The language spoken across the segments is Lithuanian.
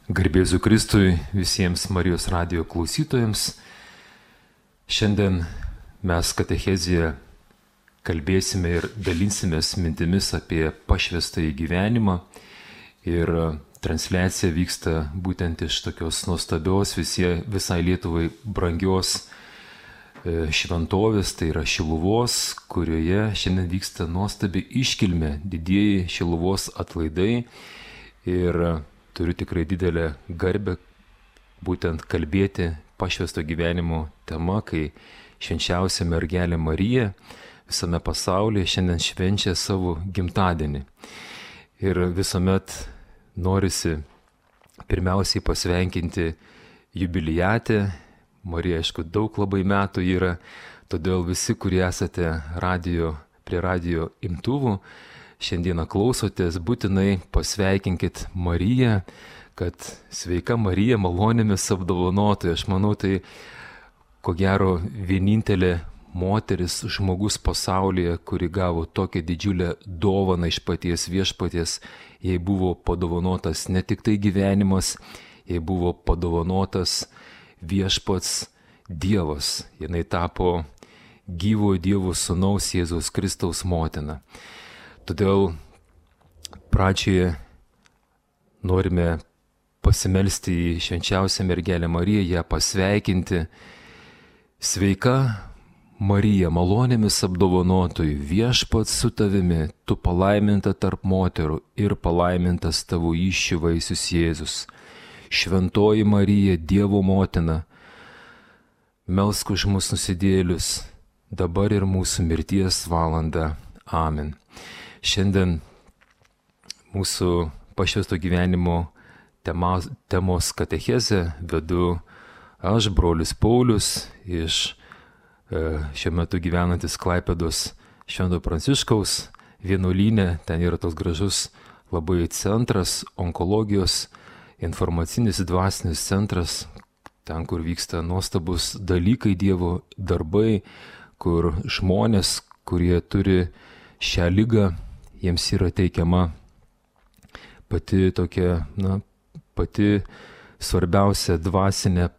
Garbėzu Kristui visiems Marijos radijo klausytojams. Šiandien mes katechezėje kalbėsime ir dalinsimės mintimis apie pašvęstąjį gyvenimą. Ir transliacija vyksta būtent iš tokios nuostabios visai Lietuvai brangios šventovės, tai yra Šiluvos, kurioje šiandien vyksta nuostabi iškilmė, didieji Šiluvos atlaidai. Ir turiu tikrai didelę garbę būtent kalbėti pašvęsto gyvenimo tema, kai švenčiausia mergelė Marija visame pasaulyje šiandien švenčia savo gimtadienį. Ir visuomet norisi pirmiausiai pasveikinti jubiliatę. Marija, aišku, daug labai metų yra, todėl visi, kurie esate prie radijo imtuvų, šiandieną klausotės, būtinai pasveikinkit Mariją, kad sveika Marija malonėmis apdovanotoja. Aš manau, tai ko gero vienintelė moteris, žmogus pasaulyje, kuri gavo tokią didžiulę dovaną iš paties viešpaties. Jai buvo padovanotas ne tik tai gyvenimas, jai buvo padovanotas viešpats Dievas. Jinai tapo gyvojo Dievo sūnaus Jėzaus Kristaus motina. Todėl pradžioje norime pasimelsti į švenčiausią mergelę Mariją, ją pasveikinti. Sveika Marija, malonėmis apdovanotoji, viešpats su tavimi, tu palaiminta tarp moterų ir palaimintas tavo įsčių vaisius Jėzus. Šventoji Marija, Dievo motina, melsk už mus nusidėlius, dabar ir mūsų mirties valanda. Amen. Šiandien mūsų pašvęsto gyvenimo temos katechezę vedu aš, brolis Paulius, iš šiuo metu gyvenantis Klaipėdos Švento Pranciškaus vienuolyne. Ten yra toks gražus labai centras, onkologijos, informacinis dvasinis centras, ten, kur vyksta nuostabus dalykai, Dievo darbai, kur žmonės, kurie turi šią ligą, jiems yra teikiama pati svarbiausia dvasinė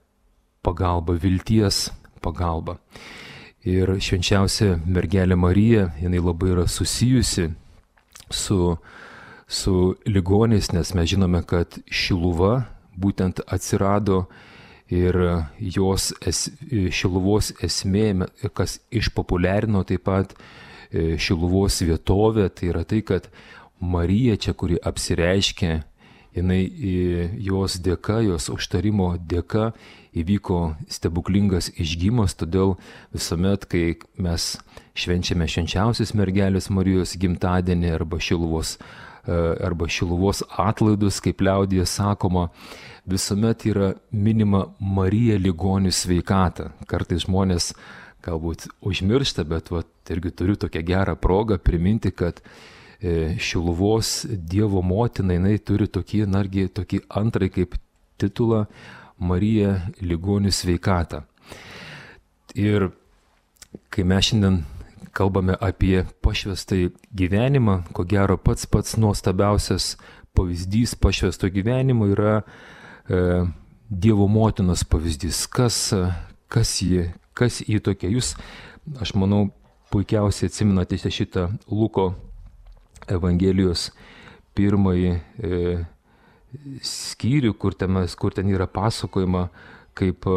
pagalba, vilties pagalba. Ir švenčiausia mergelė Marija, jinai labai yra susijusi su ligoniais, nes mes žinome, kad Šiluva būtent atsirado ir jos Šiluvos esmė, kas išpopuliarino taip pat Šiluvos vietovė, tai yra tai, kad Marija čia, kuri apsireiškė, jinai jos dėka, jos užtarimo dėka įvyko stebuklingas išgyjimas. Todėl visuomet, kai mes švenčiame švenčiausios mergelės Marijos gimtadienį arba Šiluvos atlaidus, kaip liaudyje sakoma, visuomet yra minima Marija ligonių sveikata. Kartais žmonės galbūt užmiršta, bet irgi turiu tokią gerą progą priminti, kad Šiluvos Dievo motina, jinai turi tokį antrąjį kaip titulą Marija ligonių sveikata. Ir kai mes šiandien kalbame apie pašvęstąjį gyvenimą, ko gero pats nuostabiausias pavyzdys pašvęsto gyvenimo yra Dievo motinos pavyzdys. Kas ji tokia? Jūs, aš manau, puikiausiai atsimenate šitą Luko Evangelijos pirmąjį skyrių, kur ten yra pasakojama, kaip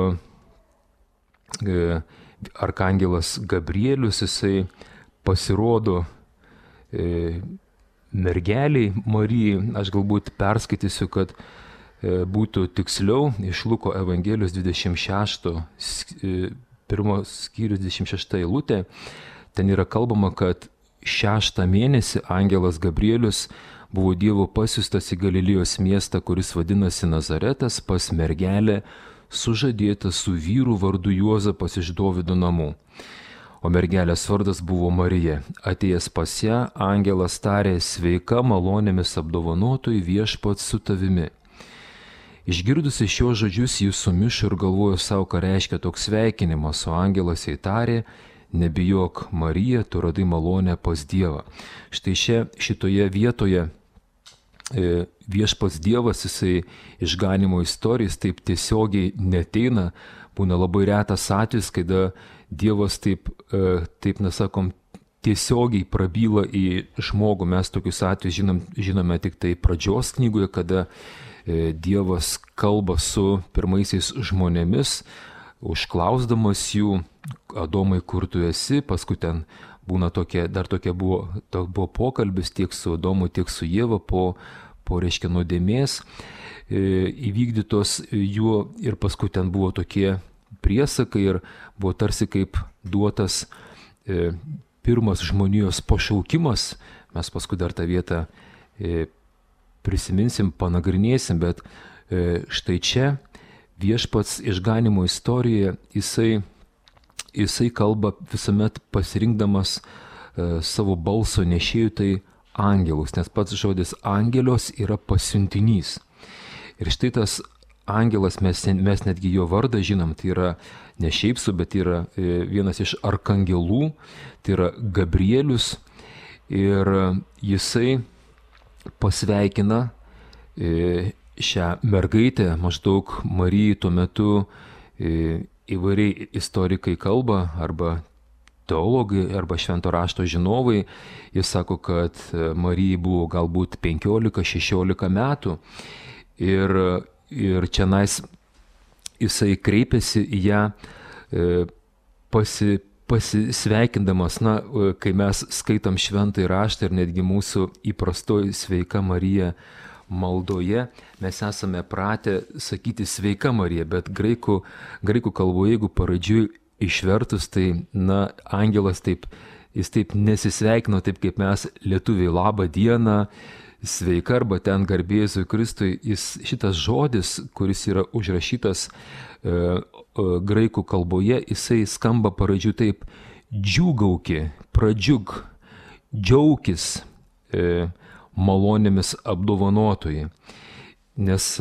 arkangelas Gabrielius, jisai pasirodo mergeliai Marijai. Aš galbūt perskaitysiu, kad būtų tiksliau, iš Luko Evangelijos 26 skyrius 26 eilutė. Ten yra kalbama, kad 6 mėnesį angelas Gabrielius buvo Dievo pasiųstas į Galilėjos miestą, kuris vadinasi Nazaretas, pas mergelę sužadėtą su vyru vardu Juozapas iš Dovydo namų. O mergelės vardas buvo Marija. Atėjęs pas ją, angelas tarė: sveika, malonėmis apdovanotoji, viešpats su tavimi. Išgirdusi šios žodžius, jis sumišo ir galvojo savo, ką reiškia toks sveikinimas, o angelas jai tarė: nebijok, Marija, tu radai malonę pas Dievą. Štai šitoje vietoje viešpats Dievas, jisai išganimo istorijas taip tiesiogiai neteina. Būna labai retas atvejis, kada Dievas taip nesakom, tiesiogiai prabyla į žmogų. Mes tokius atvejus žinome tik tai pradžios knygoje, kada Dievas kalba su pirmaisiais žmonėmis, užklausdamas jų: Adomai, kur tu esi? Paskui ten būna buvo pokalbis tiek su Adomu, tiek su Ieva po reiškia nuodėmės įvykdytos jų, ir paskui ten buvo tokie priesakai ir buvo tarsi kaip duotas pirmas žmonijos pašaukimas. Mes paskui dar tą vietą prisiminsim, panagrinėsim, bet štai čia viešpats išganimo istorijoje jisai kalba visuomet pasirinkdamas savo balso nešėjų, tai angelus, nes pats žodis angelios yra pasiuntinys. Ir štai tas angelas, mes netgi jo vardą žinom, tai yra ne šiaip su, bet yra vienas iš arkangelų, tai yra Gabrielius, ir jisai pasveikina šią mergaitę. Maždaug Marijai tuo metu įvairiai istorikai kalba, arba teologai, arba švento rašto žinovai. Jis sako, kad Marijai buvo galbūt 15-16 metų, ir čianais jisai kreipėsi į ją pasisveikindamas. Kai mes skaitom šventąjį raštą ir netgi mūsų įprastoji Sveika Marija maldoje, mes esame pratę sakyti Sveika Marija, bet graikų kalboje, jeigu paraidžiui išvertus, tai angelas jis taip nesisveikino, taip kaip mes lietuviai labą dieną, sveika, arba ten garbė Jėzui Kristui. Šitas žodis, kuris yra užrašytas graikų kalboje, jisai skamba paraidžiui taip: džiūgauki, pradžiug, džiaukis malonėmis apdovanotojai. Nes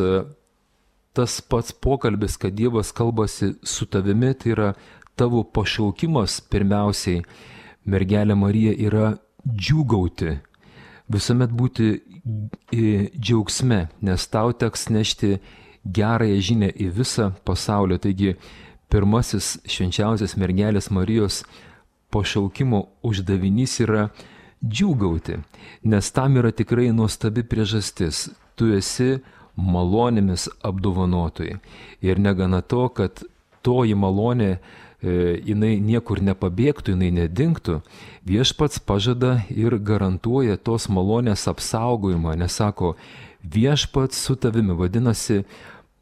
tas pats pokalbis, kad Dievas kalbasi su tavimi, tai yra tavo pašaukimas pirmiausiai, mergelė Marija, yra džiūgauti, visuomet būti džiaugsme, nes tau teks nešti gerąją žinią į visą pasaulį. Taigi pirmasis švenčiausias mergelės Marijos pašaukimo uždavinys yra džiūgauti, nes tam yra tikrai nuostabi priežastis. Tu esi malonėmis apdovanotojai. Ir negana to, kad toji malonė jinai niekur nepabėgtų, jinai nedingtų, viešpats pažada ir garantuoja tos malonės apsaugojimą, nes sako: viešpats su tavimi, vadinasi,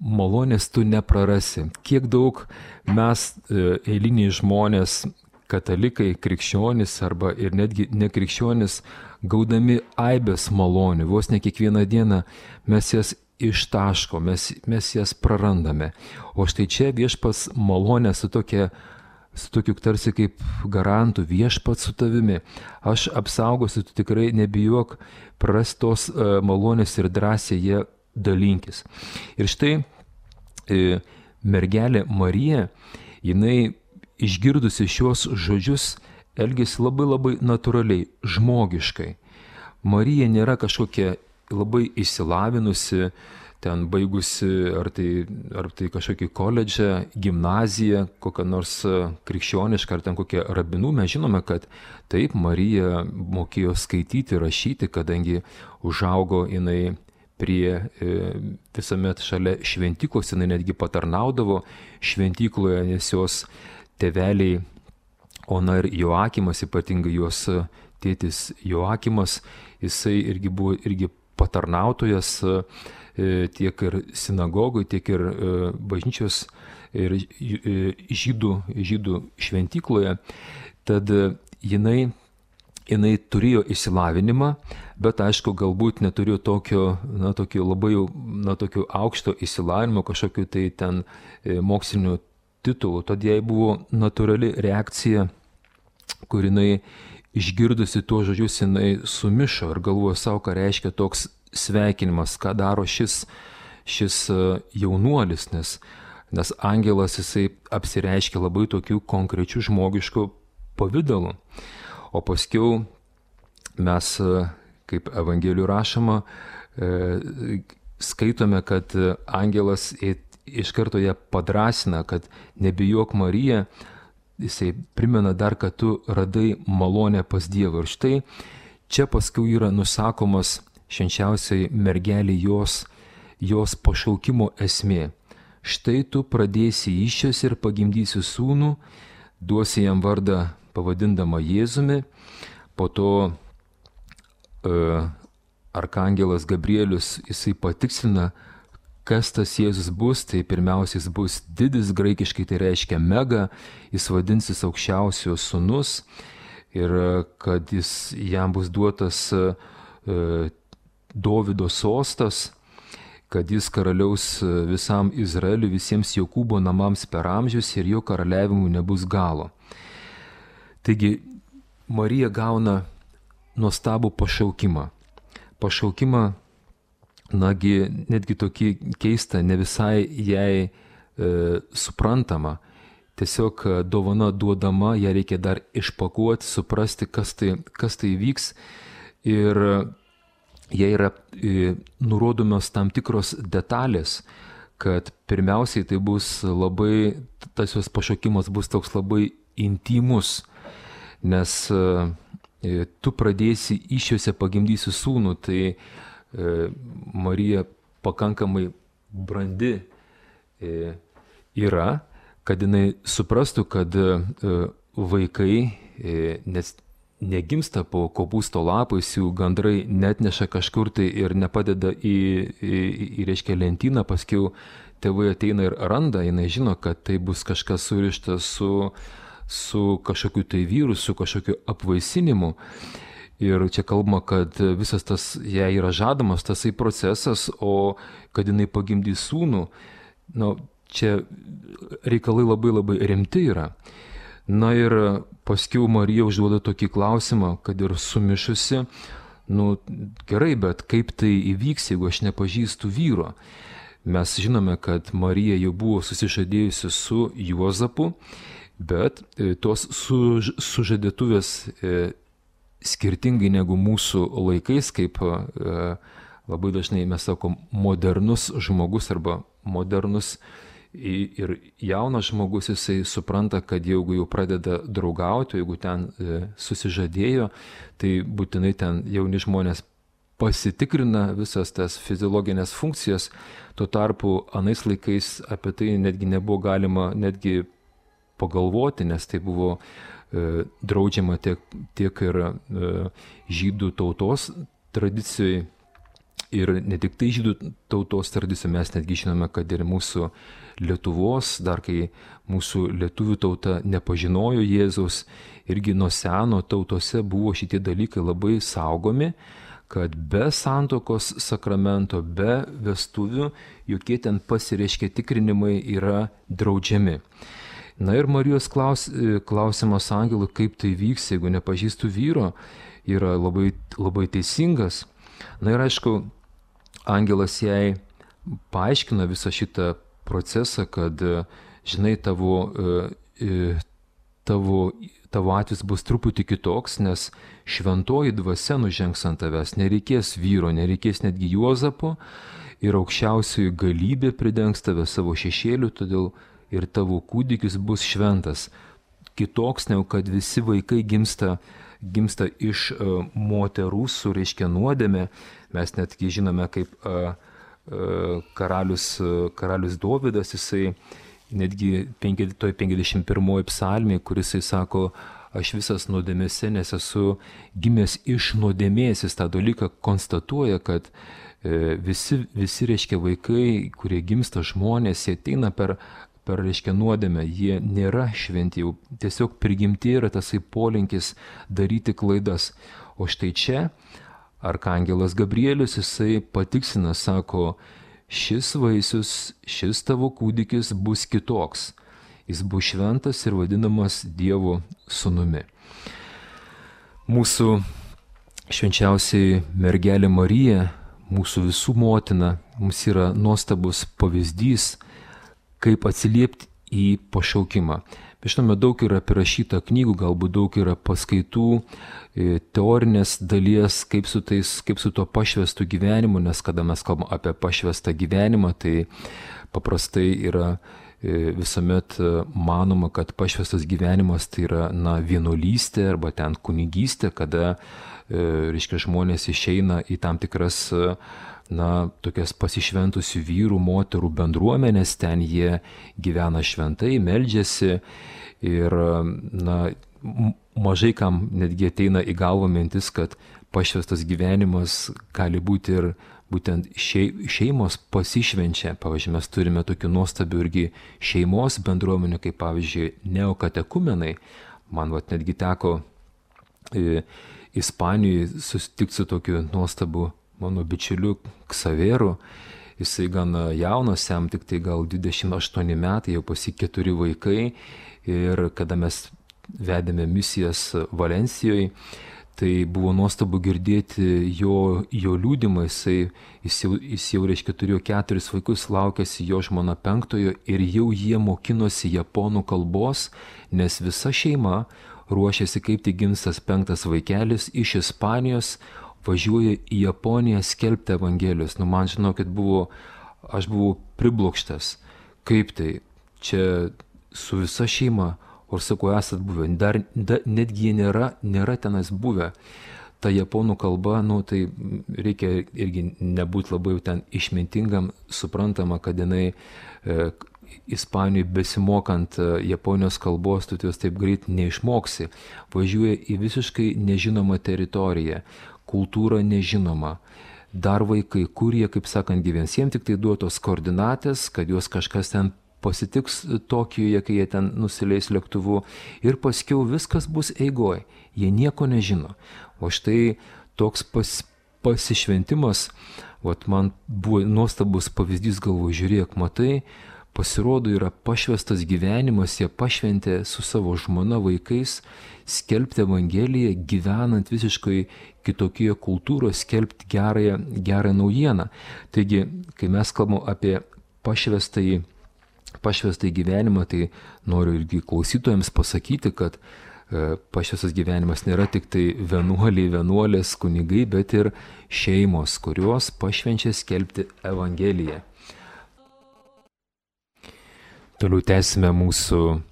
malonės tu neprarasi. Kiek daug mes eiliniai žmonės, katalikai, krikščionys arba ir netgi nekrikščionys, gaudami aibės malonių, vos ne kiekvieną dieną mes jas ištaško, mes jas prarandame. O štai čia viešpats malonė su tokiu tarsi kaip garantu: viešpats su tavimi, aš apsaugosiu, tu tikrai nebijok prarastos malonės ir drąsiai jie dalinkis. Ir štai mergelė Marija, jinai išgirdusi šios žodžius, elgėsi labai labai natūraliai, žmogiškai. Marija nėra kažkokia labai išsilavinusi, ten baigusi ar tai kažkokį koledžą, gimnaziją, kokią nors krikščionišką, ar ten kokią rabinų. Mes žinome, kad taip, Marija mokėjo skaityti, rašyti, kadangi užaugo jinai prie visuomet šalia šventyklos, jinai netgi patarnaudavo šventykloje, nes jos tėveliai Ona ir Joakimas, ypatingai jos tėtis Joakimas, jisai buvo patarnautojas tiek ir sinagogui, tiek ir bažnyčios ir žydų šventykloje. Tad jinai turėjo išsilavinimą, bet aišku, galbūt neturėjo tokio labai tokio aukšto išsilavinimo, kažkokiu tai ten mokslinių titulų. Tad jai buvo natūrali reakcija, kur jinai išgirdusi tuos žodžius, jinai sumišo ir galvojo savo, ką reiškia toks sveikinimas, ką daro šis jaunuolis, nes angelas jisai apsireiškia labai tokių konkrečių žmogiškų pavidalų. O paskiau mes, kaip Evangelijų rašoma, skaitome, kad angelas iš karto ją padrasina, kad nebijok Marija, jisai primena dar, kad tu radai malonę pas Dievą. Ir štai čia paskui yra nusakomas švenčiausiai mergelė jos pašaukimo esmė. Štai tu pradėsi įsčios ir pagimdysi sūnų, duosi jam vardą pavadindama Jėzumi, po to arkangelas Gabrielius jisai patikslina, kas tas Jėzus bus. Tai pirmiausia, jis bus didis, graikiškai tai reiškia mega, jis vadinsis aukščiausiojo sūnus ir kad jam bus duotas Dovydo sostas, kad jis karaliaus visam Izraeliui, visiems Jokūbo namams per amžius ir jo karaliavimui nebus galo. Taigi Marija gauna nuostabų pašaukimą. Pašaukimą, netgi tokį keistą, ne visai jai suprantama. Tiesiog dovana duodama, ją reikia dar išpakuoti, suprasti, kas tai vyks. Ir jai yra nurodomos tam tikros detalės, kad pirmiausiai tai bus tas jos pašaukimas bus toks labai intymus, nes tu pradėsi įsčiose pagimdysi sūnų, tai Marija pakankamai brandi yra, kad jinai suprastų, kad vaikai, nes negimsta po kopūsto lapais, jų gandrai netneša kažkur tai ir nepadeda į reiškia lentyną, paskui tėvai ateina ir randa, jinai žino, kad tai bus kažkas surišta su kažkokiu tai vyru, su kažkokiu apvaisinimu. Ir čia kalbama, kad visas tas jai yra žadamas tasai procesas, o kad jinai pagimdys sūnų, čia reikalai labai labai rimti yra. Na ir paskui Marija užduoda tokį klausimą, kad ir sumišusi, gerai, bet kaip tai įvyks, jeigu aš nepažįstu vyro? Mes žinome, kad Marija jau buvo susižadėjusi su Juozapu, bet tos sužadėtuvės skirtingai negu mūsų laikais, kaip labai dažnai mes sakom, modernus žmogus arba modernus ir jaunas žmogus, jisai supranta, kad jeigu jau pradeda draugauti, jeigu ten susižadėjo, tai būtinai ten jauni žmonės pasitikrina visas tas fiziologinės funkcijas. Tuo tarpu anais laikais apie tai netgi nebuvo galima netgi pagalvoti, nes tai buvo draudžiama tiek ir žydų tautos tradicijai. Ir ne tik tai žydų tautos tradicija, mes netgi žinome, kad ir mūsų Lietuvos, dar kai mūsų lietuvių tauta nepažinojo Jėzaus, irgi nuo seno tautose buvo šitie dalykai labai saugomi, kad be santuokos sakramento, be vestuvių, jokie ten pasireiškia tikrinimai yra draudžiami. Na ir Marijos klausimas angelui, kaip tai vyks, jeigu nepažįstu vyro, yra labai, labai teisingas. Na ir aišku, angelas jai paaiškina visą šitą procesą, kad, žinai, tavo atvejis bus truputį kitoks, nes šventoji dvasia nužengs ant tavęs, nereikės vyro, nereikės netgi Juozapo ir aukščiausioji galybė pridengs tave savo šešėliu, todėl ir tavo kūdikis bus šventas. Kitoks, negu kad visi vaikai gimsta iš moterų su reiškia nuodėmė. Mes netgi žinome, kaip karalius Dovydas, jisai netgi 51 psalmėje, kuris jisai sako, aš visas nuodėmėse, nes esu gimęs iš nuodėmės, jis tą dalyką konstatuoja, kad visi reiškia vaikai, kurie gimsta žmonės, jie ateina per reiškia nuodėmę, jie nėra šventi, jau tiesiog prigimti yra tasai polinkis daryti klaidas. O štai čia arkangelas Gabrielius, jisai patiksina, sako, šis vaisius, šis tavo kūdikis bus kitoks, jis bus šventas ir vadinamas Dievo sūnumi. Mūsų švenčiausiai mergelė Marija, mūsų visų motina, mums yra nuostabus pavyzdys, kaip atsiliepti į pašaukimą. Žinome, daug yra prirašyta knygų, galbūt daug yra paskaitų, teorinės dalies, kaip su to pašvęstu gyvenimu, nes kada mes kalbame apie pašvęstą gyvenimą, tai paprastai yra visuomet manoma, kad pašvęstas gyvenimas tai yra vienuolystė arba ten kunigystė, kada, reiškia, žmonės išeina į tam tikras tokias pasišventusių vyrų, moterų bendruomenės, ten jie gyvena šventai, meldžiasi ir mažai kam netgi ateina į galvą mintis, kad pašvęstas gyvenimas gali būti ir būtent šeimos pasišvenčia. Pavyzdžiui, mes turime tokių nuostabių irgi šeimos bendruomenių, kaip pavyzdžiui neokatekumenai. Man netgi teko Ispanijoje susitikti su tokiu nuostabu mano bičiuliu Ksaveru. Jisai gan jaunas, jam tik tai gal 28 metai, jau pas jį 4 vaikai. Ir kada mes vedėme misijas Valencijoje, tai buvo nuostabu girdėti jo liūdimą. Jis jau reiškia turėjo 4 vaikus, laukėsi jo žmona 5 ir jau jie mokinosi japonų kalbos, nes visa šeima ruošėsi, kaip tik gims tas 5 vaikelis iš Ispanijos, važiuoja į Japoniją skelbti Evangelijos. Man, žinokit, aš buvau priblokštas. Kaip tai? Čia su visa šeima, o sakau, esat buvę. Netgi jie nėra tenais buvę. Ta japonų kalba, tai reikia irgi nebūti labai ten išmintingam, suprantama, kad jinai Ispanijoje besimokant Japonijos kalbos, tu jos taip greit neišmoksi. Važiuoja į visiškai nežinomą teritoriją, kultūra nežinoma, dar vaikai, kurie, kaip sakant, gyvens, jiems tik tai duotos koordinatės, kad juos kažkas ten pasitiks Tokijoje, kai jie ten nusileis lėktuvu ir paskiau viskas bus eigoj, jie nieko nežino. O štai toks pasišventimas, man buvo nuostabus pavyzdys, galvoju, žiūrėk, matai, pasirodo yra pašvęstas gyvenimas, jie pašventė su savo žmona, vaikais, skelbti Evangeliją, gyvenant visiškai kitokioje kultūroje, skelbti gerą naujieną. Taigi, kai mes kalbame apie pašvęstąjį gyvenimą, tai noriu irgi klausytojams pasakyti, kad pašvęstas gyvenimas nėra tik tai vienuoliai, vienuolės, kunigai, bet ir šeimos, kurios pašvenčia skelbti Evangeliją. Toliau tęsime mūsų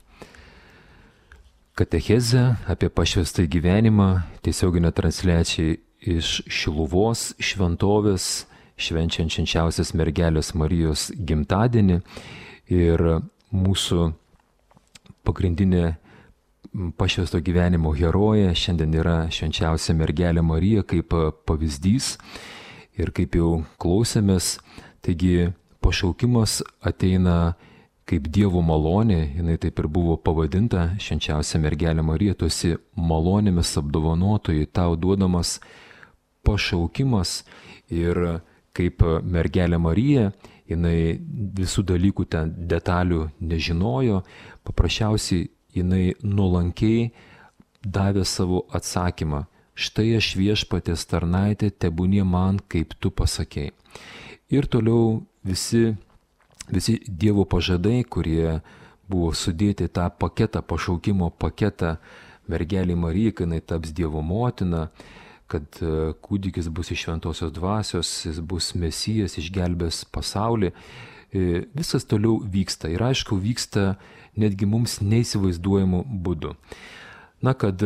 katechezę apie pašvęstą gyvenimą, tiesioginę transliaciją iš Šiluvos šventovės, švenčiant švenčiausios mergelės Marijos gimtadienį. Ir mūsų pagrindinė pašvęsto gyvenimo herojė šiandien yra švenčiausia mergelė Marija kaip pavyzdys. Ir kaip jau klausėmės, taigi pašaukimas ateina kaip Dievo malonė, jinai taip ir buvo pavadinta, švenčiausia mergelė Marija, tu esi malonėmis apdovanotojai, tau duodamas pašaukimas. Ir kaip mergelė Marija, jinai visų dalykų ten detalių nežinojo, paprasčiausiai jinai nuolankiai davė savo atsakymą. Štai aš Viešpaties tarnaitė, tebūnie man, kaip tu pasakei. Ir toliau visi Dievo pažadai, kurie buvo sudėti tą paketą, pašaukimo paketą mergelė Marija, kai jinai taps Dievo motina, kad kūdikis bus iš šventosios dvasios, jis bus Mesijas, išgelbės pasaulį. Viskas toliau vyksta ir aišku vyksta netgi mums neįsivaizduojamų būdų. Kad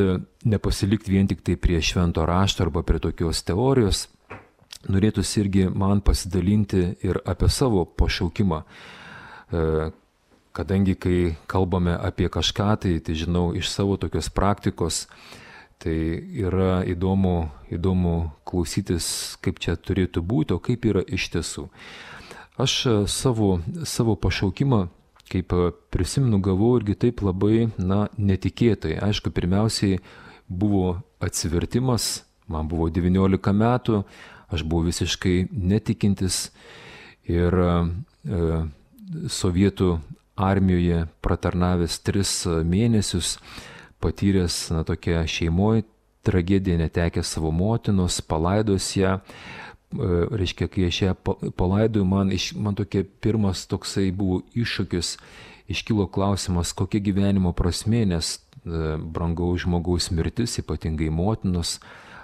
nepasilikti vien tik tai prie švento rašto arba prie tokios teorijos, norėtųsi irgi man pasidalinti ir apie savo pašaukimą. Kadangi kai kalbame apie kažką, tai žinau iš savo tokios praktikos, tai yra įdomu klausytis, kaip čia turėtų būti, o kaip yra iš tiesų. Aš savo pašaukimą, kaip prisimenu, gavau irgi taip labai, netikėtai. Aišku, pirmiausiai buvo atsivertimas, man buvo 19 metų, aš buvau visiškai netikintis ir Sovietų armijoje pratarnavęs 3 mėnesius, patyręs tokią šeimoje tragediją, netekęs savo motinos, palaidojęs ją, reiškia, kai aš ją palaidoju, man tokia pirmas toksai buvo iššūkis, iškilo klausimas, kokia gyvenimo prasmė, nes brangaus žmogaus mirtis, ypatingai motinos,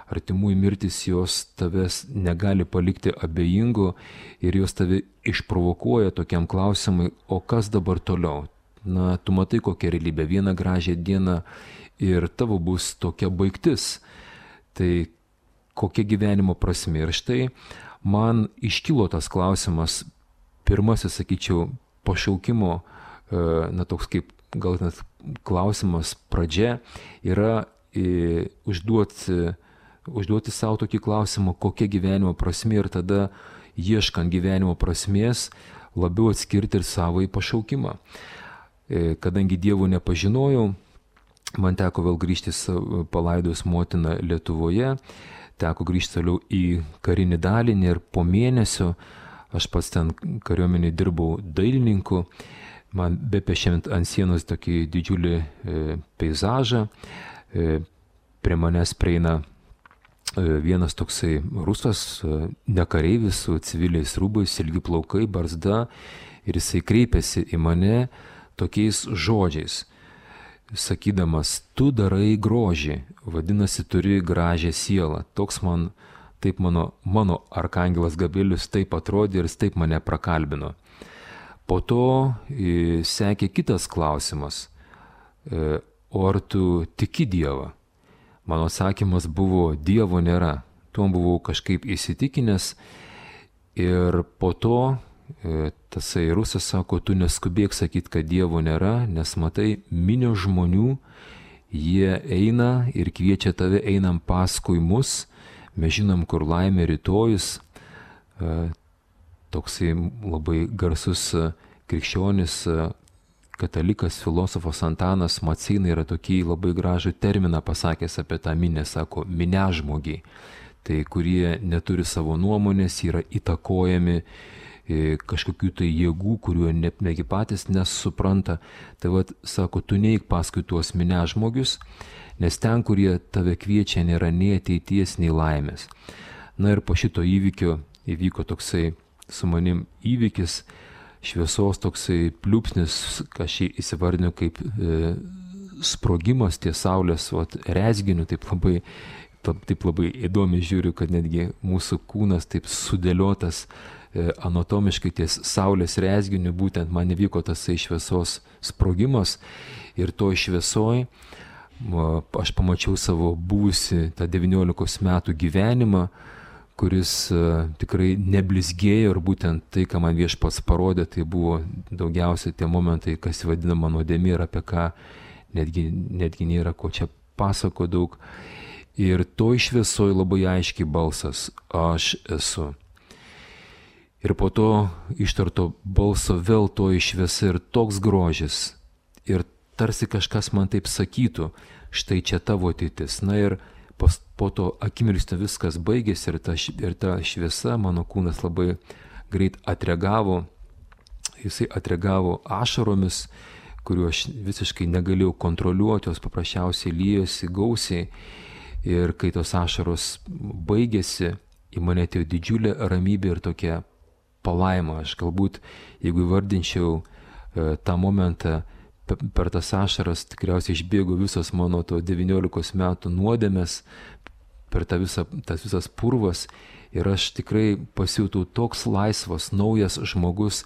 artimųjų mirtis, jos tavęs negali palikti abejingų ir jos tave išprovokuoja tokiam klausimui, o kas dabar toliau? Na, tu matai kokią realybę, vieną gražią dieną ir tavo bus tokia baigtis. Tai kokia gyvenimo prasmė? Ir štai man iškilo tas klausimas, pirmasis, sakyčiau, pašaukimo, na toks kaip gal net klausimas pradžia yra užduoti savo tokį klausimą, kokia gyvenimo prasmė ir tada ieškant gyvenimo prasmės labiau atskirti ir savąjį pašaukimą. Kadangi Dievo nepažinojau, man teko vėl grįžti palaidojus motiną Lietuvoje, teko grįžti toliau į karinį dalinį ir po mėnesio aš pats ten kariuomenėje dirbau dailininku, man bepiešiant ant sienos tokį didžiulį peizažą, prie manęs prieina vienas toksai rusas, nekareivis su civiliais rūbais, ilgi plaukai, barzda ir jisai kreipėsi į mane tokiais žodžiais, sakydamas, tu darai grožį, vadinasi, turi gražią sielą. Toks taip mano arkangelas Gabrielius taip atrodė ir jis taip mane prakalbino. Po to sekė kitas klausimas, o ar tu tiki Dievą? Mano atsakymas buvo, Dievo nėra. Tuom buvau kažkaip įsitikinęs ir po to tasai rusas sako, tu neskubėk sakyti, kad Dievo nėra, nes matai, minios žmonių, jie eina ir kviečia tave, einam paskui mus, mes žinom, kur laimė rytojus. Toksai labai garsus krikščionis, katalikas, filosofas Antanas Maceina yra tokį labai gražų terminą pasakęs apie tą minę, sako, minežmogiai, tai kurie neturi savo nuomonės, yra įtakojami kažkokių tai jėgų, kuriuo negi patys nesupranta. Tai vat, sako, tu neik paskui tuos minežmogius, nes ten, kurie tave kviečia, nėra nei ateities, nei laimės. Na ir po šito įvykio įvyko toksai su manim įvykis, šviesos toksai pliūpsnis, aš jį įsivardinu kaip sprogimas ties saulės rezginiu, taip labai įdomiai žiūriu, kad netgi mūsų kūnas taip sudėliotas anatomiškai ties saulės rezginiu, būtent man įvyko tasai šviesos sprogimas ir to šviesoj aš pamačiau savo buvusi tą 19 metų gyvenimą, kuris tikrai neblizgėjo ir būtent tai, ką man Viešpats parodė, tai buvo daugiausiai tie momentai, kas vadinama nuodėmė ir apie ką netgi nėra ko čia pasako daug. Ir toj šviesoj labai aiškiai balsas, aš esu. Ir po to ištarto balso vėl toj šviesa ir toks grožis. Ir tarsi kažkas man taip sakytų, štai čia tavo ateitis. Na ir po to akimirksniu viskas baigėsi ir ta šviesa, mano kūnas labai greit atreagavo, jisai atreagavo ašaromis, kuriuo aš visiškai negalėjau kontroliuoti, jos paprasčiausiai liejosi gausiai ir kai tos ašaros baigėsi, į mane atėjo didžiulė ramybė ir tokia palaima. Aš galbūt, jeigu įvardinčiau tą momentą, per tas ašaras tikriausiai išbėgo visos mano to 19 metų nuodėmės, per tas visas purvas ir aš tikrai pasijutau toks laisvas, naujas žmogus,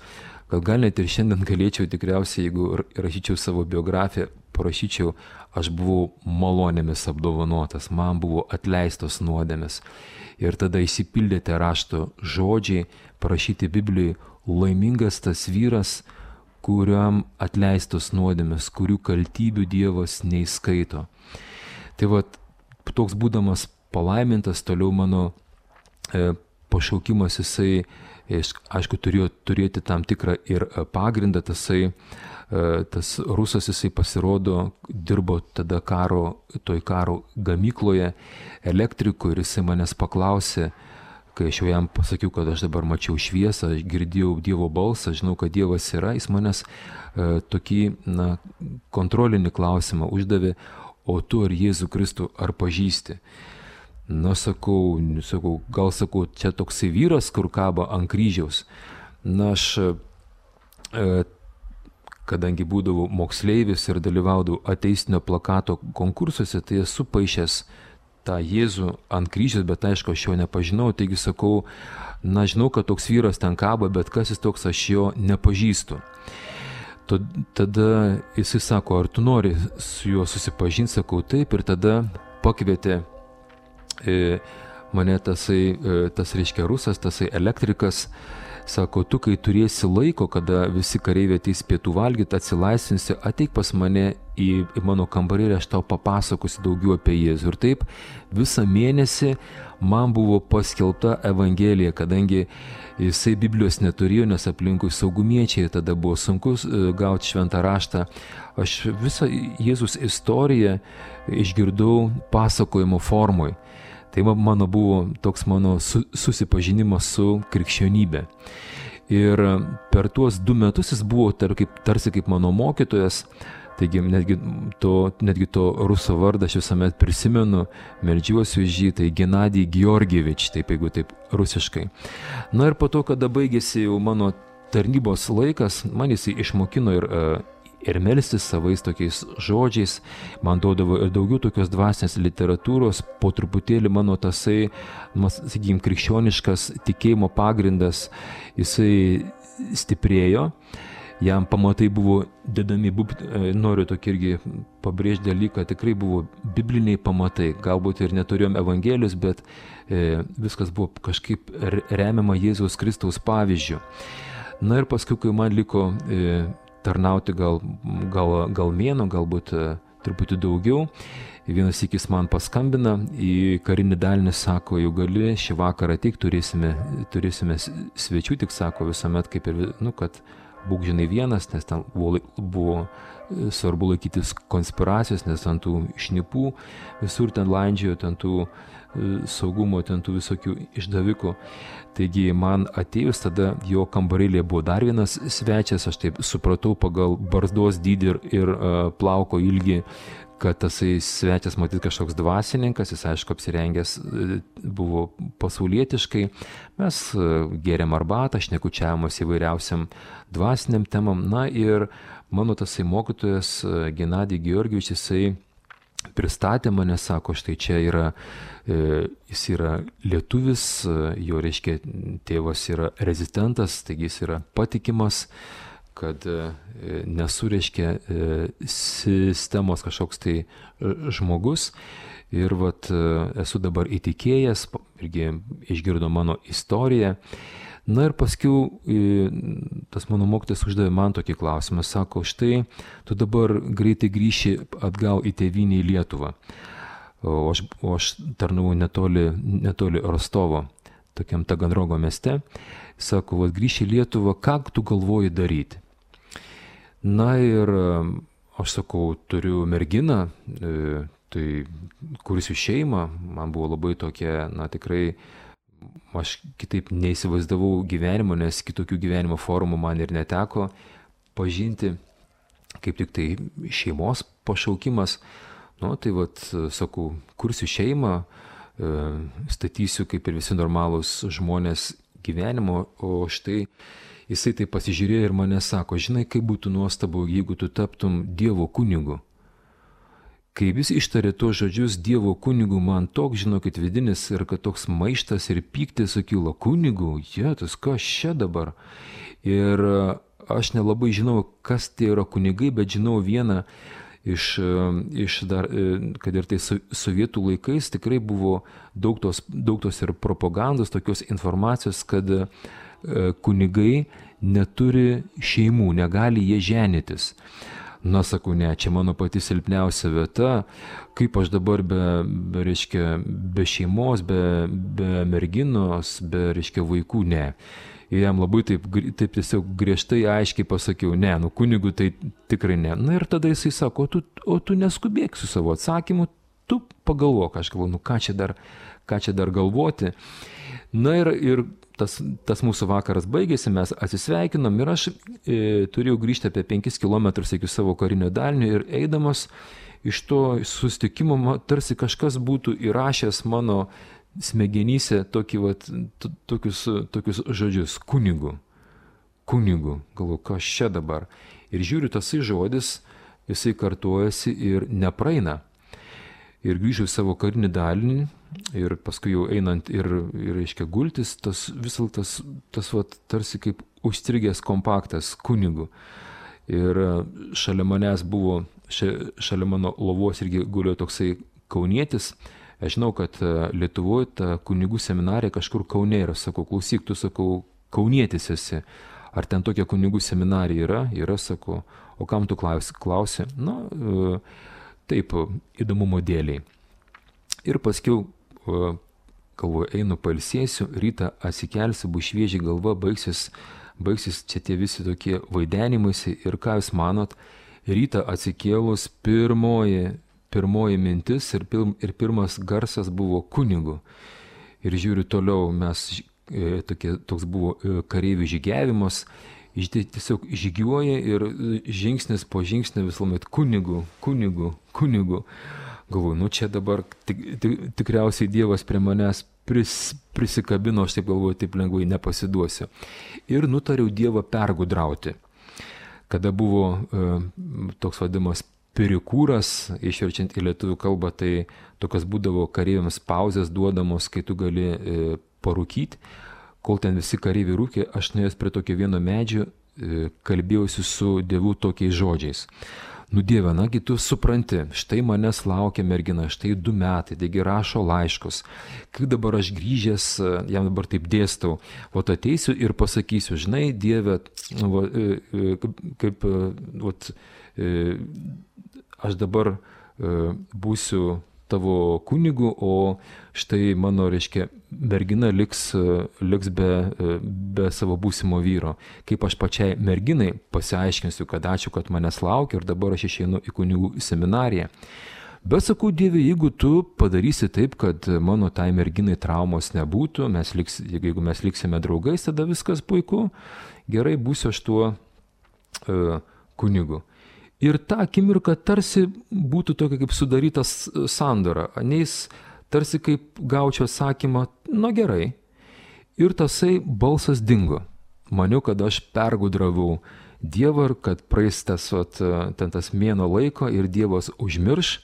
kad gal net ir šiandien galėčiau tikriausiai, jeigu rašyčiau savo biografiją, parašyčiau, aš buvau malonėmis apdovanotas, man buvo atleistos nuodėmės. Ir tada išsipildė tie rašto žodžiai, parašyti Biblijai, laimingas tas vyras, kuriam atleistos nuodėmės, kurių kaltybių Dievas neįskaito. Tai vat, toks būdamas palaimintas, toliau mano pašaukimas, jisai, aišku, turėjo turėti tam tikrą ir pagrindą, tas rusas, jisai pasirodo, dirbo tada toj karo gamykloje elektriku ir jisai manęs paklausė, kai aš jau jam pasakiau, kad aš dabar mačiau šviesą, aš girdėjau Dievo balsą, žinau, kad Dievas yra, jis manęs tokį kontrolinį klausimą uždavė, o tu ar Jėzų Kristų ar pažįsti? Na, sakau, gal sakau, čia toksai vyras, kur kaba ant kryžiaus. Na, aš, kadangi būdavau moksleivis ir dalyvaudavau ateistinio plakato konkursuose, tai esu paišęs tą Jėzų ant kryžiaus, bet aišku, aš jo nepažinau, taigi sakau, na, žinau, kad toks vyras ten kaba, bet kas jis toks, aš jo nepažįstu. Tada jisai sako, ar tu nori su juo susipažinti, sakau, taip, ir tada pakvietė mane tas reiškia rusas, tasai elektrikas, sako, tu kai turėsi laiko, kada visi kareiviai ateis pietų valgyti, atsilaisvinsi, ateik pas mane į mano kambarį ir aš tau papasakosiu daugiau apie Jėzų. Ir taip visą mėnesį man buvo paskelbta Evangelija, kadangi jisai Biblijos neturėjo, nes aplinkui saugumiečiai, tada buvo sunku gauti šventą raštą. Aš visą Jėzus istoriją išgirdau pasakojimo formoj. Tai mano buvo toks mano susipažinimas su krikščionybė. Ir per tuos 2 metus jis buvo tarsi kaip mano mokytojas, taigi netgi to ruso vardą aš visuomet prisimenu, meldžiuosi už jį, tai Genadij Georgievič, taip jeigu taip rusiškai. Na ir po to, kada baigėsi jau mano tarnybos laikas, man jisai išmokino ir melstis savais tokiais žodžiais, man duodavo ir daugiau tokios dvasinės literatūros, po truputėlį mano tasai, sakykime, krikščioniškas tikėjimo pagrindas, jisai stiprėjo, jam pamatai buvo dedami, noriu tokį irgi pabrėžti dalyką, tikrai buvo bibliniai pamatai, galbūt ir neturėjom Evangelijos, bet viskas buvo kažkaip remiama Jėzaus Kristaus pavyzdžiu. Na ir paskui, kai man liko tarnauti gal mėnuo, galbūt truputį daugiau. Vienas sykis man paskambina į karinį dalinį, sako, jau gali šį vakarą ateik, turėsime svečių, tik sako visuomet kaip ir, kad būk žinai vienas, nes ten buvo svarbu laikytis konspiracijos, nes ant tų šnipų visur ten landžiojo, ten tų saugumo, ten tų visokių išdavikų. Taigi man atėjus tada jo kambarėlėje buvo dar vienas svečias, aš taip supratau pagal barzdos dydį ir plauko ilgį, kad tasai svečias matyt kažkoks dvasininkas, jis aišku apsirengęs buvo pasaulietiškai, mes gėrėm arbatą, šnekučiavomos įvairiausiam dvasiniam temam, na ir mano tasai mokytojas Genadij Georgievič, jisai pristatė mane, sako, štai čia jis yra lietuvis, jo reiškia tėvas yra rezistentas, taigi jis yra patikimas, kad nesu reiškia sistemos kažkoks tai žmogus ir esu dabar įtikėjęs, irgi išgirdo mano istoriją. Na ir paskiau tas mano mokytojas uždavė man tokį klausimą, sako, štai tu dabar greitai grįši atgal į tėvynę į Lietuvą, o aš tarnavau netoli Rostovo, tokiam Taganrogo mieste, sako, grįši į Lietuvą, ką tu galvoji daryti? Na ir aš sakau, turiu merginą, tai kursiu šeimą, man buvo labai tokia, tikrai, aš kitaip neįsivaizdavau gyvenimo, nes kitokių gyvenimo formų man ir neteko pažinti, kaip tik tai šeimos pašaukimas. Tai sakau, kursiu šeimą, statysiu kaip ir visi normalūs žmonės gyvenimo, o štai jisai tai pasižiūrėjo ir mane sako, žinai, kaip būtų nuostabu, jeigu tu taptum Dievo kunigu. Kai vis ištarė tuos žodžius Dievo kunigu, man toks, žinokit, vidinis ir kad toks maištas ir pyktis sukilo, kunigų, jėtus, kas čia dabar? Ir aš nelabai žinau, kas tai yra kunigai, bet žinau vieną iš dar, kad ir tai sovietų laikais tikrai buvo daug tos ir propagandos, tokios informacijos, kad kunigai neturi šeimų, negali jie ženytis. Na, sakau, ne, čia mano pati silpniausia vieta, kaip aš dabar be šeimos, be merginos, be vaikų, ne. Ir jam labai taip tiesiog griežtai aiškiai pasakiau, ne, kunigų tai tikrai ne. Na ir tada jisai sako, o tu neskubėk su savo atsakymu, tu pagalvok, aš galvoju, ką čia dar galvoti. Na ir tas mūsų vakaras baigėsi, mes atsisveikinom ir aš turėjau grįžti apie 5 kilometrus iki savo karinio dalinio ir eidamas iš to susitikimo tarsi kažkas būtų įrašęs mano smegenyse tokius žodžius kunigu. Galvoju, kas čia dabar. Ir žiūriu, tasai žodis, jisai kartojasi ir nepraeina. Ir grįžau į savo karinį dalinį ir paskui jau einant ir reiškia gultis, tas tarsi kaip užstrigęs kompaktas kunigu. Ir šalia manęs buvo, šalia mano lovos irgi gulėjo toksai kaunietis. Aš žinau, kad Lietuvoje ta kunigų seminarija kažkur Kaune yra. Sakau, klausyk, tu, sakau, kaunietis esi. Ar ten tokia kunigų seminarija yra? Yra, sakau. O kam tu klausi? Na, taip, įdomumo dėliai. Ir paskiau, galvoju, einu pailsėsiu, rytą atsikelsiu, bus švieži galva, baigsis čia tie visi tokie vaidenimaisi. Ir ką jūs manot, rytą atsikėlus pirmoji mintis ir pirmas garsas buvo kunigu. Ir žiūriu toliau, toks buvo kareivių žygiavimas, tiesiog žygiuoja ir žingsnis po žingsnio visuomet kunigu. Galvoju, čia dabar tikriausiai Dievas prie manęs prisikabino, aš taip galvoju, taip lengvai nepasiduosiu. Ir nutariau Dievą pergudrauti. Kada buvo toks vadinamas perikūras, išverčiant į lietuvių kalbą, tai tokios būdavo kareiviams pauzės duodamos, kai tu gali parūkyti. Kol ten visi kareiviai rūkė, aš nuėjęs prie tokio vieno medžio, kalbėjausi su Dievu tokiais žodžiais. Nu Dieve, nagi tu supranti, štai manęs laukia mergina, štai 2 metai, taigi rašo laiškus. Kaip dabar aš grįžęs, jam dabar taip dėstau, ateisiu ir pasakysiu, žinai, Dieve, aš dabar būsiu tavo kunigu, o štai mano, reiškia, mergina liks be savo būsimo vyro. Kaip aš pačiai merginai pasiaiškinsiu, kad ačiū, kad manęs laukia ir dabar aš išeinu į kunigų seminariją. Bet sakau, Dieve, jeigu tu padarysi taip, kad mano tai merginai traumos nebūtų, jeigu mes liksime draugais, tada viskas puiku, gerai, būsiu aš tuo kunigu. Ir ta akimirka tarsi būtų tokia kaip sudarytas sandora, neis tarsi kaip gaučiau atsakymą, na gerai. Ir tasai balsas dingo. Maniau, kad aš pergudravau Dievą ir kad praeis tas mėnuo laiko ir Dievas užmirš.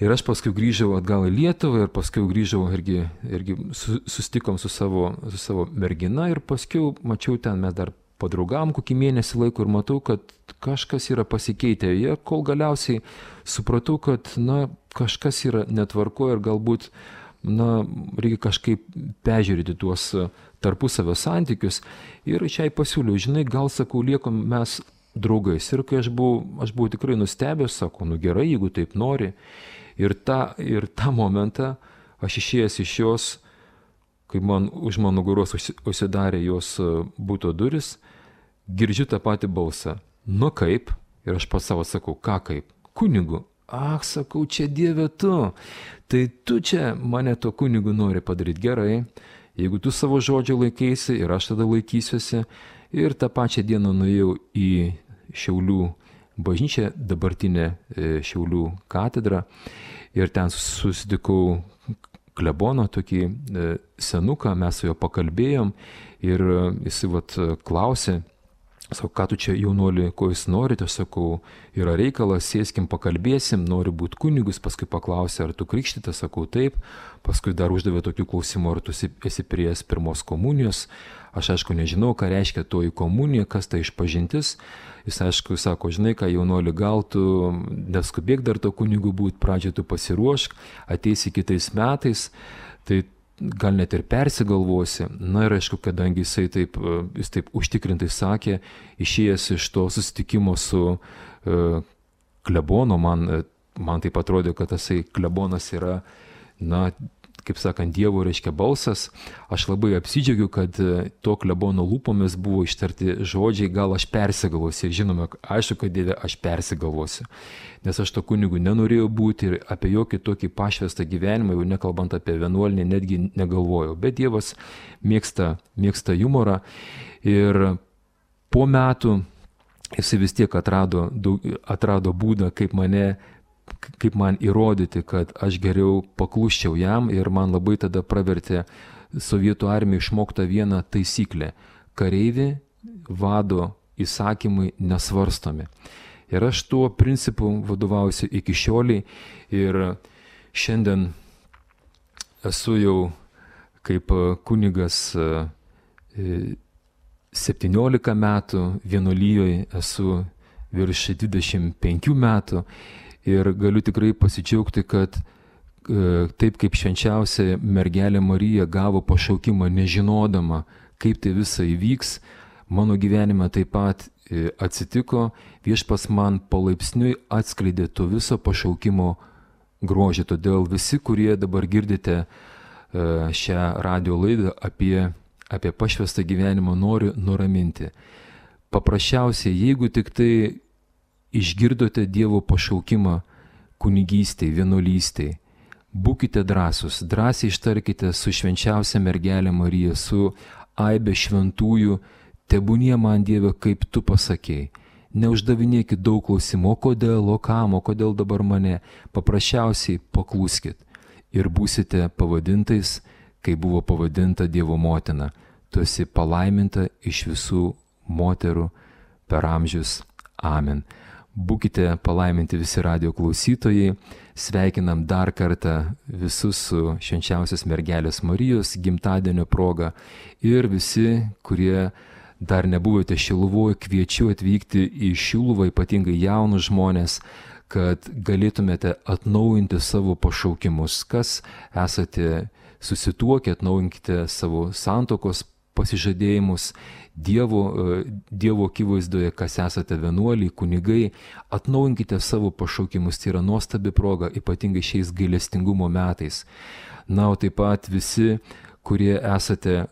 Ir aš paskui grįžau atgal į Lietuvą ir paskui grįžau irgi susitikom su savo mergina ir paskui mačiau ten mes dar padraugavom kokį mėnesį laiko ir matau, kad kažkas yra pasikeitę. Ir kol galiausiai supratau, kad kažkas yra netvarko ir galbūt reikia kažkaip peržiūrėti tuos tarpusavio santykius. Ir šiai pasiūliau, žinai, gal sakau, liekom mes draugais. Ir kai aš buvau tikrai nustebęs, sakau, gerai, jeigu taip nori. Ir tą momentą aš išėjęs iš jos, kai už mano nugaros užsidarė jos buto duris, girdžiu tą patį balsą. Nu kaip? Ir aš pas savo sakau, ką kaip? Kunigu. Ach, sakau, čia Dieve tu. Tai tu čia mane to kunigu nori padaryti gerai. Jeigu tu savo žodžio laikaisi ir aš tada laikysiuosi. Ir tą pačią dieną nuėjau į Šiaulių bažnyčią, dabartinę Šiaulių katedrą. Ir ten susitikau kleboną, tokį senuką, mes su juo pakalbėjom ir jisai klausė, sakau, ką tu čia jaunuoli, ko jūs norite, sakau, yra reikalas, sėskim, pakalbėsim, noriu būti kunigus, paskui paklausė, ar tu krikštytas, sakau, taip, paskui dar uždavė tokių klausimų, ar tu esi prieš pirmos komunijos, aš aišku nežinau, ką reiškia toji komunija, kas tai išpažintis, jis aišku sako, žinai ką, jaunuoli, gal tu neskubėk dar to kunigu būti, pradžioje tu pasiruošk, ateisi kitais metais, tai gal net ir persigalvosi. Na ir aišku, kadangi jis taip užtikrintai sakė, išėjęs iš to susitikimo su klebonu, man taip atrodė, kad tasai klebonas yra, kaip sakant, Dievo reiškia balsas. Aš labai apsidžiaugiu, kad to klebono lūpomis buvo ištarti žodžiai, gal aš persigalvosiu. Žinoma, aišku, kad Dieve, aš persigalvosiu. Nes aš to kunigu nenorėjau būti ir apie jokį tokį pašvestą gyvenimą, jau nekalbant apie vienuolinį, netgi negalvojau. Bet Dievas mėgsta humorą ir po metų jisai vis tiek atrado būdą, kaip man įrodyti, kad aš geriau paklusčiau jam, ir man labai tada pravertė Sovietų armija išmokta vieną taisyklę. Kareivį vado įsakymai nesvarstomi. Ir aš tuo principu vadovausiu iki šioliai, ir šiandien esu jau kaip kunigas 17 metų, vienuolijoje esu virš 25 metų. Ir galiu tikrai pasidžiaugti, kad taip kaip švenčiausia mergelė Marija gavo pašaukimą nežinodama, kaip tai visa įvyks, mano gyvenime taip pat atsitiko. Viešpats man palaipsniui atskleidė to viso pašaukimo grožį. Todėl visi, kurie dabar girdite šią radio laidą apie pašvestą gyvenimą, noriu nuraminti. Paprasčiausiai, jeigu tik tai išgirdote Dievo pašaukimą kunigystei, vienuolystei, būkite drąsūs, drąsiai ištarkite su švenčiausia mergelė Marija, su aibe šventųjų, tebūnie man Dieve, kaip tu pasakėjai. Neuždavinėkit daug klausimų, o kodėl, o kam, o kodėl dabar mane. Paprasčiausiai pakluskit ir būsite pavadintais, kai buvo pavadinta Dievo motina. Tu esi palaiminta iš visų moterų per amžius. Amen. Būkite palaiminti visi radio klausytojai. Sveikinam dar kartą visus su švenčiausios mergelės Marijos gimtadienio proga. Ir visi, kurie dar nebuvote Šiluvoje, kviečiu atvykti į Šiluvą, ypatingai jaunus žmonės, kad galėtumėte atnaujinti savo pašaukimus. Kas esate susituokę, atnaujinkite savo santuokos pasižadėjimus Dievo akivaizdoje, kas esate vienuoliai, kunigai, atnaujinkite savo pašaukimus. Tai yra nuostabi proga, ypatingai šiais gailestingumo metais. Na, o taip pat visi, kurie esate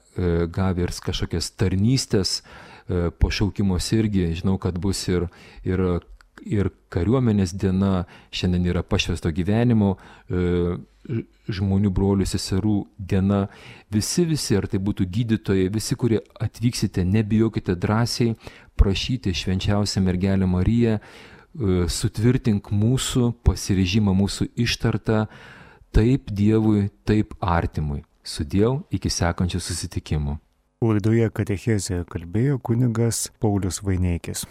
gavę ir kažkokias tarnystės pašaukimus irgi, žinau, kad bus ir kariuomenės diena, šiandien yra pašvesto gyvenimo žmonių, brolių, seserų diena. Visi, ar tai būtų gydytojai, visi, kurie atvyksite, nebijokite drąsiai prašyti švenčiausią mergelę Mariją, sutvirtink mūsų pasiryžimą, mūsų ištartą taip Dievui, taip artimui. Sudiev, iki sekančių susitikimų. Laidoje Katechezė kalbėjo kunigas Paulius Vaineikis.